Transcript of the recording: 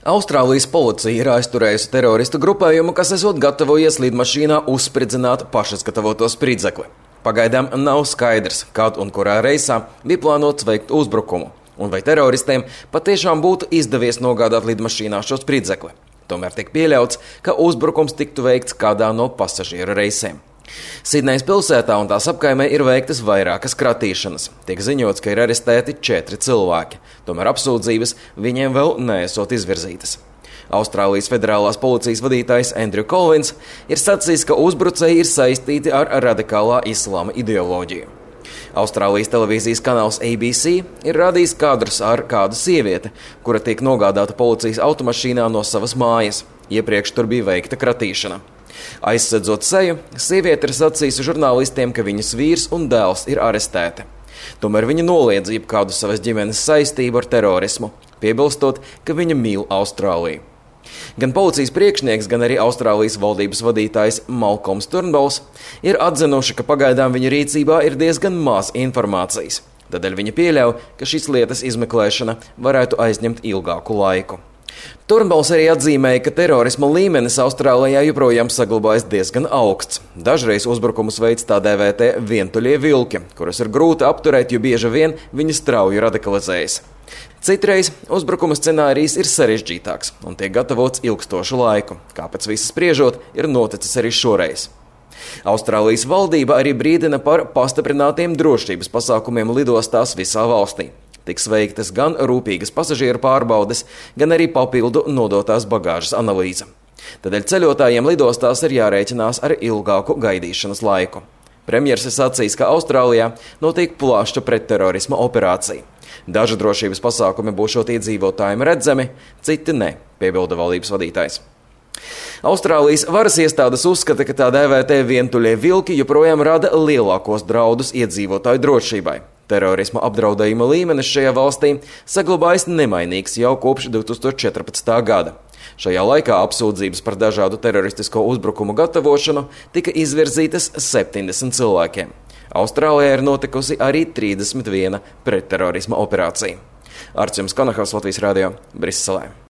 Austrālijas policija ir aizturējusi teroristu grupējumu, kas esot gatavojies lidmašīnā uzspridzināt pašizgatavoto spridzekli. Pagaidām nav skaidrs, kad un kurā reisā bija plānots veikt uzbrukumu, un vai teroristiem patiešām būtu izdevies nogādāt lidmašīnā šo spridzekli. Tomēr tiek pieļauts, ka uzbrukums tiktu veikts kādā no pasažieru reisiem. Sidnejas pilsētā un tās apkaimē ir veiktas vairākas kratīšanas. Tiek ziņots, ka ir arestēti 4 cilvēki, tomēr apsūdzības viņiem vēl neesot izvirzītas. Austrālijas federālās policijas vadītājs Andrew Colvins ir sacījis, ka uzbrucēji ir saistīti ar radikālā islāma ideoloģiju. Austrālijas televīzijas kanāls ABC ir rādījis kadrus ar kādu sievieti, kura tiek nogādāta policijas automašīnā no savas mājas. Iepriekš tur bija veikta kratīšana. Aizsedzot seju, sieviete ir sacījusi žurnālistiem, ka viņas vīrs un dēls ir arestēti. Tomēr viņa noliedz jebkādu savas ģimenes saistību ar terorismu, piebilstot, ka viņa mīl Austrāliju. Gan policijas priekšnieks, gan arī Austrālijas valdības vadītājs Malkolms Turnbulls ir atzinuši, ka pagaidām viņa rīcībā ir diezgan maz informācijas. Tādēļ viņa pieļauj, ka šīs lietas izmeklēšana varētu aizņemt ilgāku laiku. Turnbulls arī atzīmēja, ka terorisma līmenis Austrālijā joprojām saglabājas diezgan augsts. Dažreiz uzbrukumus veids tā dēvētie vientuļie vilki, kurus ir grūti apturēt, jo bieži vien viņi strauji radikalizējas. Citreiz uzbrukuma scenārijs ir sarežģītāks un tiek gatavots ilgstošu laiku, kā pēc visas spriežot ir noticis arī šoreiz. Austrālijas valdība arī brīdina par pastiprinātiem drošības pasākumiem lidostās visā valstī. Tiks veiktas gan rūpīgas pasažieru pārbaudes, gan arī papildu nodotās bagāžas analīze. Tādēļ ceļotājiem lidostās ir jārēķinās ar ilgāku gaidīšanas laiku. Premjers ir sacījis, ka Austrālijā notiek plaša pretterorisma operācija. Daži drošības pasākumi būšot iedzīvotājiem redzami, citi ne, piebilda valdības vadītājs. Austrālijas varas iestādes uzskata, ka tā dēvētie vientuļie vilki joprojām rada lielākos draudus iedzīvotāju drošībai. Terorisma apdraudējuma līmenis šajā valstī saglabājas nemainīgs jau kopš 2014. gada. Šajā laikā apsūdzības par dažādu teroristisko uzbrukumu gatavošanu tika izvirzītas 70 cilvēkiem. Austrālijā ir notikusi arī 31 pretterorisma operācija. Arts Kanahals, Latvijas radio, Briselē.